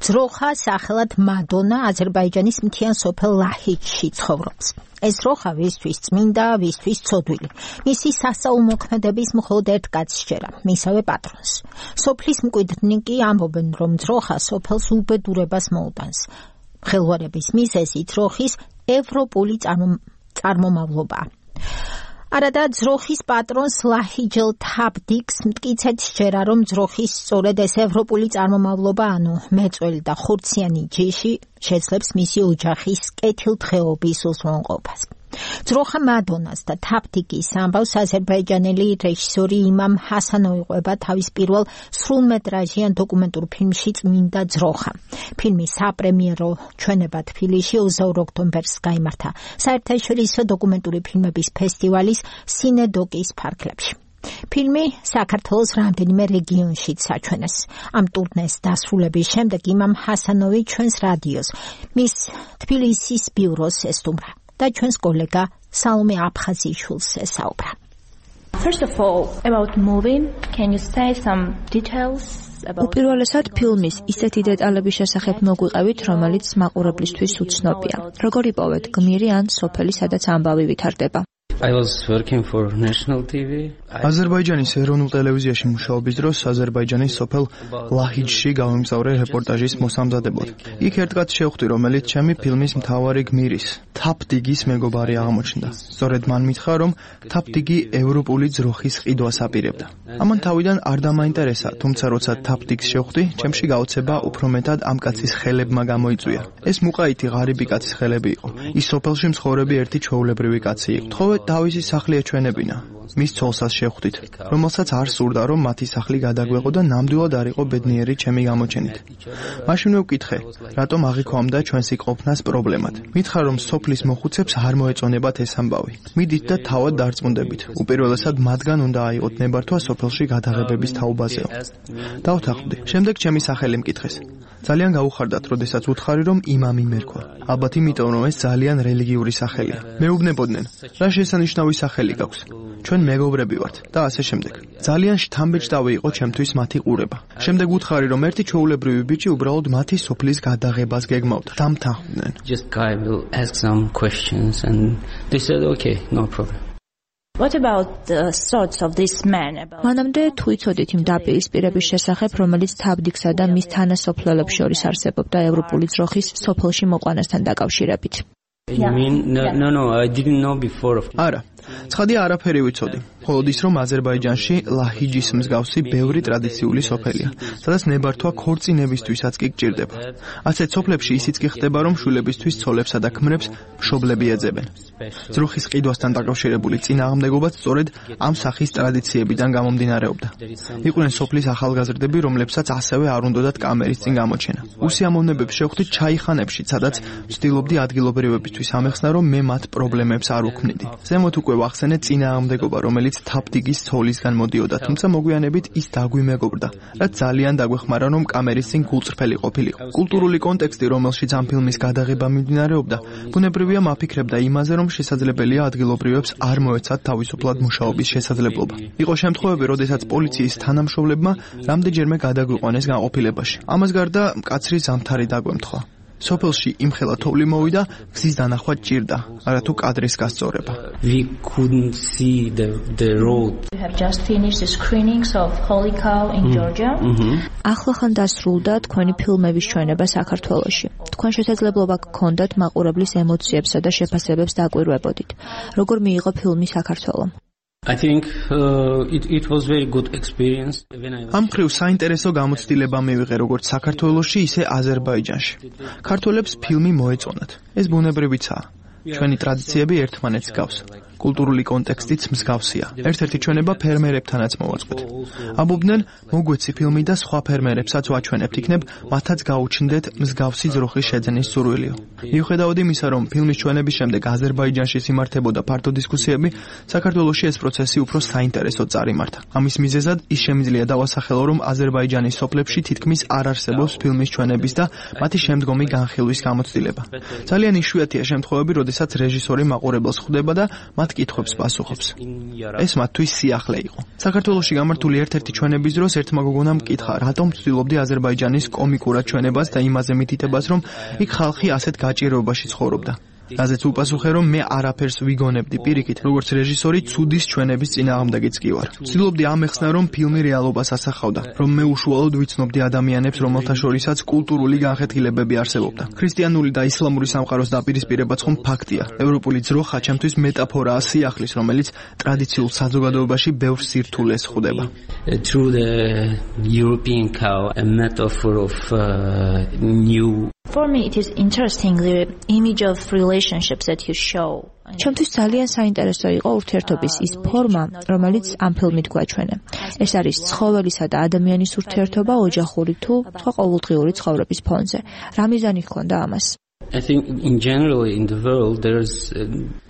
ძროხა სახელად მადონა აზერბაიჯანის მთიან სოფელ ლაჰიჯში ცხოვრობს. ეს ძროხა ვისთვის წმინდა, ვისთვის ცოდვილი. მისი სასწაულმოქმედების მხოლოდ ერთ კაცს სჯერა, მისავე პატრონს. სოფლის მკვიდრნი კი ამბობენ, რომ ძროხა სოფელს უბედურებას მოუტანს. ხელვარების მიზეზი ძროხის ევროპული წარმომავლობაა. არადა ძროხის პატრონს ლაჰიჯელ თაბდიკს მტკიცედ სჯერა, რომ ძროხის სწორედ ეს ევროპული წარმომავლობა, ანუ მეწველი და ხურციანი ჯიში შეძლებს მისი ოჯახის კეთილდღეობის უზრუნველყოფას. ძროხა მადონას და თაბდიკის ამბავს აზერბაიჯანელი რეჟისორი იმამ ჰასანოვი ყვება თავის პირველ სრულმეტრაჟიან დოკუმენტურ ფილმში წმინდა ძროხა. ფილმი საპრემიერო ჩვენება თბილისში 22 ოქტომბერს გაიმართა საერთაშორისო დოკუმენტური ფილმების ფესტივალის სინედოკის ფარგლებში. ფილმი საქართველოს რამდენიმე რეგიონშიც საჩვენეს. ამ ტურნეს დასრულების შემდეგ იმამ ჰასანოვი ჩვენს რადიოს მის თბილისის ბიუროს ესტუმრა და ჩვენს კოლეგა სალომე აფხაზიშვილს ესაუბრა. First of all, about movie, can you say some details about უპირველესად ფილმის ისეთი დეტალების შესახებ მოგვიყევით, რომელიც მაყურებლისთვის უცნობია. როგორ იპოვეთ გმირი ან სოფელი, სადაც ამბავი ვითარდება? I was working for national TV. აზერბაიჯანის ეროვნულ ტელევიზიაში მუშაობის დროს აზერბაიჯანის სოფელ ლაჰიჯში გავიმგზავრე რეპორტაჟის მოსამზადებლად. იქ ერთ კაცს შევხვდი, რომელიც ჩემი ფილმის მთავარი გმირის, თაბდიგის მეგობარი აღმოჩნდა. სწორედ მან მითხრა, რომ თაბდიგი ევროპული ძროხის ყიდვას აპირებდა. ამან თავიდან არ დამაინტერესა, თუმცა როცა თაბდიგს შევხვდი, ჩემში გაოცება უფრო მეტად ამ კაცის ხელებმა გამოიწვია. ეს მუყაითი ღარიბი კაცის ხელები იყო. ის სოფელში მცხოვრები ერთი ჩვეულებრივი კაცი იყო. თხოვეთ თავისი სახლი ეჩვენებინა. მის ცოლსაც შევხვდით, რომელსაც არ სურდა, რომ მათი სახლი გადაგვეყო და ნამდვილად არ იყო ბედნიერი ჩემი გამოჩენით. მაშინვე ვკითხე, რატომ აღიქვამდა ჩვენს იყოფნას პრობლემად. მითხრა, რომ სოფლის მოხუცებს არ მოეწონებათ ეს ამბავი. მიდით და თავად დარწმუნდებით. უპირველესად მათგან უნდა აიღოთ ნებართვა სოფელში გადაღებების თაობაზეო. დავთანხმდი. შემდეგ ჩემი სახელი მკითხეს. ძალიან გაუხარდათ, როდესაც უთხარი, რომ იმამი მერქვა. ალბათ იმიტომ, რომ ეს ძალიან რელიგიური სახელია. მეუბნებოდნენ, რა შესანიშნავი სახელი გაქვს. ჩვენ მეგობრები ვართ და ასე შემდეგ. ძალიან შთამბეჭდავი იყო ჩემთვის მათი ყურება. შემდეგ უთხარი, რომ ერთი ჩვეულებრივი ბიჭი უბრალოდ მათი სოფლის გადაღებას გეგმავდა. დამთანხმდნენ. Just guy will ask some questions and they said okay, no problem. What about the thoughts of this man about მანამდე თუ იცოდით იმ დაპირისპირების შესახებ, რომელიც თაბდიგსა და მის თანასოფლელებს შორის არსებობდა ევროპული ძროხის სოფელში მოყვანასთან დაკავშირებით? You mean no, I didn't know before. არა, ცხადია არაფერი ვიცოდი. მხოლოდ ის, რომ აზერბაიჯანში ლაჰიჯის მსგავსი ბევრი ტრადიციული სოფელია, სადაც ნებართვა ქორწინებისთვისაც კი გჭირდება. ასეთ სოფლებში ისიც კი ხდება, რომ შვილებისთვის ცოლებსა და ქმრებს მშობლები ეძებენ. ძროხის ყიდვასთან დაკავშირებული წინააღმდეგობაც სწორედ ამ სახის ტრადიციებიდან გამომდინარეობდა. იყვნენ სოფლის ახალგაზრდები, რომლებსაც ასევე არ უნდათ კამერის წინ გამოჩენა. უსიამოვნებებს შევხვდით ჩაიხანებში, სადაც ვცდილობდი ადგილობრივებისთვის ამეხსნა, რომ მე მათ პრობლემებს არ უქმნიდი. ზემოთ უკვე ვახსენე წინააღმდეგობა, რომელიც თაბდიგის ცოლისგან მოდიოდა, თუმცა მოგვიანებით ის დაგვიმეგობრდა, რაც ძალიან დაგვეხმარა, რომ კამერის წინ გულწრფელი ყოფილიყო. კულტურული კონტექსტი, რომელშიც ამ ფილმის გადაღება მიმდინარეობდა, ბუნებრივია მაფიქრებდა იმაზე, რომ შესაძლებელია ადგილობრივებს არ მოეცათ თავისუფლად მუშაობის შესაძლებლობა. იყო შემთხვევები, როდესაც პოლიციის თანამშრომლებმა რამდენჯერმე გადაგვიყვანეს განყოფილებაში. ამას გარდა მკაცრი ზამთარი დაგვემთხვა. სოფელში იმხელა თოვლი მოვიდა, გზის დანახვა ჭირდა, არათუ კადრის გასწორება. We couldn't see the road. you have just finished the screenings of Holy Cow in Georgia? ახლახან დასრულდა თქვენი ფილმების ჩვენება საქართველოში. თქვენ შესაძლებლობა გქონდათ მაყურებლის ემოციებსა და შეფასებებს დაკვირვებოდით. როგორ მიიღო ფილმი საქართველომ? I think it was very good experience when I ამ მხრივ საინტერესო გამოცდილება მივიღე როგორც საქართველოში, ისე აზერბაიჯანში. ქართველებს ფილმი მოეწონათ. ეს ბუნებრივიცაა. ჩვენი ტრადიციები ერთმანეთს გავს. კულტურული კონტექსტიც მსგავსია. ერთ-ერთი ჩვენება ფერმერებთანაც მოვაწყვეთ. ამბობდნენ, მოგვეცი ფილმი და სხვა ფერმერებსაც ვაჩვენებთ, იქნებ მათაც გაუჩნდეთ მსგავსი ძროხის შეძენის სურვილიო. მიუხედავად იმისა, რომ ფილმის ჩვენების შემდეგ აზერბაიჯანში სიმართებოდა ფართო დისკუსიები, საქართველოში ეს პროცესი უფრო საინტერესოდ წარიმართა. ამის მიზეზად ის შემიძლია დავასახელო, რომ აზერბაიჯანის სოფლებში თითქმის არ არსებობს ფილმის ჩვენების და მათი შემდგომი განხილვის გამოცდილება. ძალიან იშვიათია შემთხვევები, როდესაც რეჟისორი მაყურებელს ხვდება და მათ მათ კითხვებს პასუხობს. ეს მათთვის სიახლე იყო. საქართველოში გამართული ერთ-ერთი ჩვენების დროს ერთმა გოგონამ მკითხა, რატომ ვცდილობდი აზერბაიჯანის კომიკურად ჩვენებას და იმაზე მითითებას, რომ იქ ხალხი ასეთ გაჭირვებაში ცხოვრობდა. რაზეც უპასუხე, რომ მე არაფერს ვიგონებდი პირიქით, როგორც რეჟისორი ცუდის ჩვენების წინააღმდეგიც კი ვარ. ვცდილობდი ამეხსნა, რომ ფილმი რეალობას ასახავდა, რომ მე უშუალოდ ვიცნობდი ადამიანებს, რომელთა შორისაც კულტურული განხეთქილებები არსებობდა. ქრისტიანული და ისლამური სამყაროს დაპირისპირებაც ხომ ფაქტია. ევროპული ძროხა ჩემთვის მეტაფორაა სიახლის, რომელიც ტრადიციულ საზოგადოებაში ბევრ სირთულეს ხვდება. Through the European cow, a metaphor of new. For me, it is interesting the image of relationships that you show. ჩემთვის ძალიან საინტერესო იყო ურთიერთობის ის ფორმა, რომელიც ამ ფილმით გვაჩვენე. ეს არის ცხოველისა და ადამიანის ურთიერთობა ოჯახური თუ სხვა ყოველდღიური ცხოვრების ფონზე. რა მიზანი ჰქონდა ამას? I think in general in the world there's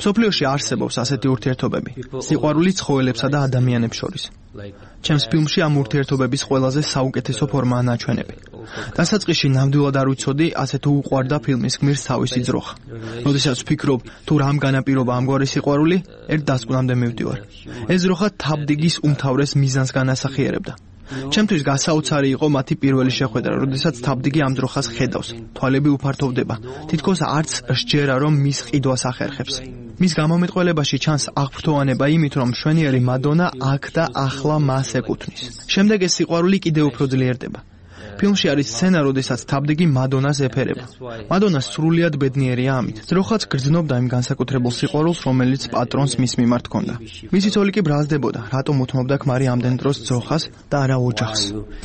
სოფლიოში არსებობს ასეთი ურთიერთობები. სიყვარული ცხოველებსა და ადამიანებს შორის. ჩემს ფილმში ამ ურთიერთობების ყველაზე საუკეთესო ფორმაა ნაჩვენები. დასაწყისში ნამდვილად არ ვიცოდი, ასეთ უყვარდა ფილმის გმირს თავისი ძროხა. როდესაც ვფიქრობ, თუ რამ განაპირობა ამგვარი სიყვარული, ერთ დასკვნამდე მივდივარ. ეს ძროხა თავდგის უმთავრეს მიზანს განასახიერებდა. ჩემთვის გასაოცარი იყო მათი პირველი შეხვედრა, როდესაც თავდგი ამ ძროხას ხედავს. თვალები უფართოვდება. თითქოს არც სჯერა, რომ მის ყიდვას ახერხებს. მის გამომეტყველებაში ჩანს აღფრთოვანება იმით, რომ მშვენიერი მადონა აქ და ახლა მას ეკუთვნის. შემდეგ ეს სიყვარული კიდევ უფრო ძლიერდება. ფილმში არის სცენა, როდესაც თავდგი მადონას ეფერება. მადონა სრულიად ბედნიერია ამით. ძროხაც გრძნობდა იმ განსაკუთრებულ სიყვარულს, რომელიც პატრონს მის მიმართ ჰქონდა. მისი ცოლი კი ბრალდებოდა, რატომ უთმობდა ქმარი ამდენ დროს ძროხას და არა ოჯახს.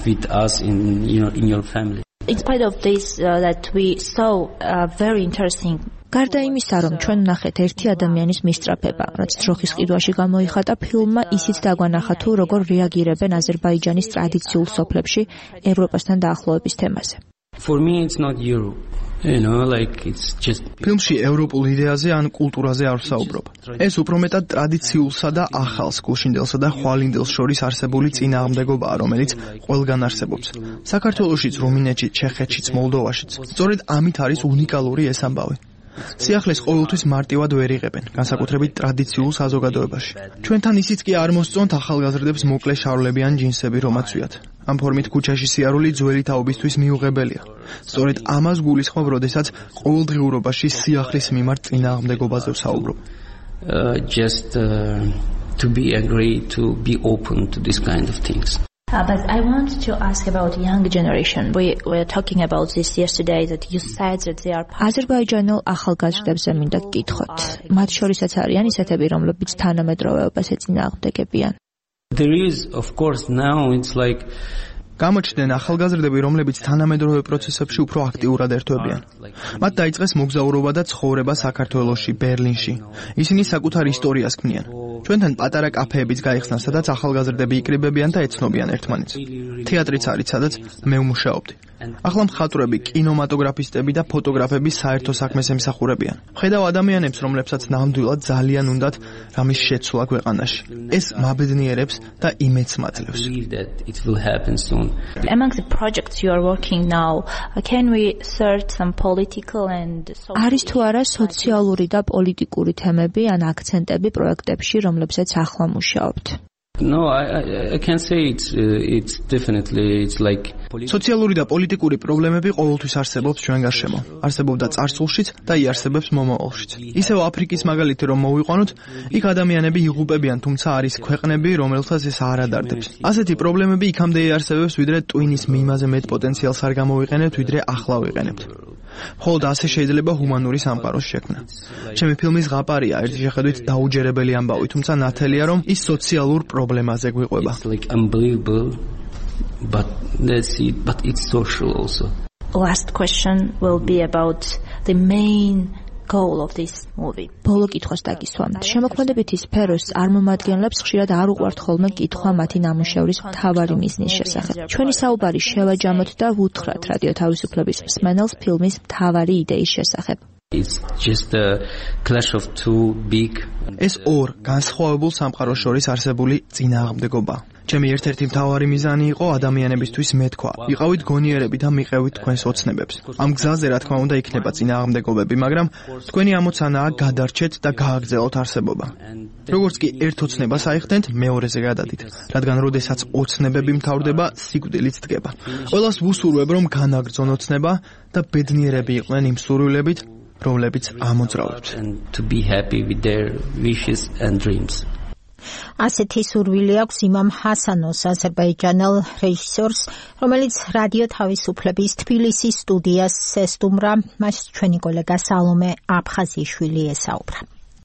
with us in your family. In spite of this, that we saw very interesting. გარდა იმისა, რომ ჩვენ ვნახეთ ერთი ადამიანის მისწრაფება, რაც ძროხის ყიდვაში გამოიხატა, ფილმმა ისიც დაგვანახა თუ როგორ რეაგირებენ აზერბაიჯანის ტრადიციულ სოფლებში ევროპასთან დაახლოების თემაზე. For me it's not Europe. You know, like it's just ფილმში ევროპულ იდეაზე ან კულტურაზე არ ვსაუბრობ. ეს უფრო მეტად ტრადიციულსა და ახალს, გულშინდელსა და ხვალინდელს შორის არსებული წინააღმდეგობაა, რომელიც ყველგან არსებობს. საქართველოშიც, რუმინეთშიც, ჩეხეთშიც, მოლდოვაშიც. სწორედ ამით არის უნიკალური ეს ამბავი. სიახლეს ყოველთვის მარტივად ვერ იღებენ, განსაკუთრებით ტრადიციულ საზოგადოებაში. ჩვენთან ისიც კი არ მოსწონთ ახალგაზრდებს მოკლე შარვლებიან ჯინსები რომაცვიათ. ამ ფორმით ქუჩაში სიარული ძველი თაობისთვის მიუღებელია. სწორედ ამას გულისხმობ, როდესაც ყოველდღიურობაში სიახლის მიმართ წინააღმდეგობაზე ვსაუბრობ. Just to be agree to be open to this kind of things. But I want to ask about young generation. We were talking about this yesterday that you said that they are აზერბაიჯანელ ახალგაზრდებზე მინდა გკითხოთ. მათ შორისაც არიან ისეთები, რომლებიც თანამედროვეობას ეწინააღმდეგებიან. There is of course now it's like გამოჩნდნენ ახალგაზრდები, რომლებიც თანამედროვე პროცესებში უფრო აქტიურად ერთვებიან. მათ დაიწყეს მოგზაურობა და ცხოვრება საქართველოში, ბერლინში. ისინი საკუთარ ისტორიას ქმნიან. ჩვენთან პატარა კაფეებიც გაიხსნა, სადაც ახალგაზრდები იკრიბებიან და ეცნობიან ერთმანეთს. თეატრიც არის, სადაც მე ვმუშაობდი. ახლა მხატვრები, კინემატოგრაფისტები და ფოტოგრაფები საერთო საქმეს ემსახურებიან. ხედავ ადამიანებს, რომლებსაც ნამდვილად ძალიან უნდათ რამის შეცვლა ქვეყანაში. ეს მაბედნიერებს და იმედს მაძლევს. Among the projects you are working now, can we search some political and არის თუ არა სოციალური და პოლიტიკური თემები ან აქცენტები პროექტებში, რომლებზეც ახლა მუშაობთ? No, I can say it's definitely it's like სოციალური და პოლიტიკური პრობლემები ყოველთვის არსებობს ჩვენ გარშემო. არსებობდა წარსულშიც და იარსებებს მომავალშიც. ისევ აფრიკის მაგალითი რომ მოვიყვანოთ, იქ ადამიანები იღუპებიან, თუმცა არის ქვეყნები, რომელთაც ეს არ ადარდებს. ასეთი პრობლემები იქამდე იარსებებს, ვიდრე ტვინის მიმაზე მეტ პოტენციალს არ გამოვიყენებთ, ვიდრე ახლა ვიყენებთ. მხოლოდ ასე შეიძლება ჰუმანური სამყაროს შექმნა. ჩემი ფილმის ზღაპარია ერთი შეხედვით დაუჯერებელი ამბავი, თუმცა ნათელია რომ ის სოციალურ პრობლემაზე გვიყვება. It's like unbelievable, but let's see, but it's social also. Last question will be about the main goal of this movie. ბოლო კითხვას დაგისვამთ. შემოქმედებითი სფეროს წარმომადგენლებს ხშირად არ უყვართ ხოლმე კითხვა მათი ნამუშევრის მთავარი მიზნის შესახებ. ჩვენი საუბარი შევაჯამოთ და ვუთხრათ რადიო თავისუფლების მსმენელს ფილმის მთავარი იდეის შესახებ. It's just a clash of two big ეს ორ განსხვავებულ სამყაროს შორის არსებული წინააღმდეგობა. ჩემი ერთ-ერთი მთავარი მიზანი იყო ადამიანებისთვის მეთქვა. იყავით გონიერები და მიყევით თქვენს ოცნებებს. ამ გზაზე რა თქმა უნდა იქნება წინააღმდეგობები, მაგრამ თქვენი ამოცანაა გადარჩეთ და გააგრძელოთ არსებობა. როგორც კი ერთ ოცნებას აიხდენთ, მეორეზე გადადით, რადგან როდესაც ოცნებები მთავრდება, სიკვდილიც დგება. ყველას ვუსურვებ, რომ განაგრძონ ოცნება და ბედნიერები იყვნენ იმ სურვილებით, რომლებიც ამოძრავებთ. To be happy with their wishes and dreams. ასეთი სურვილი აქვს იმამ ჰასანოს, აზერბაიჯანელ რეჟისორს, რომელიც რადიო თავისუფლების თბილისის სტუდიას ესტუმრა, მას ჩვენი კოლეგა სალომე აფხაზიშვილი ესაუბრა.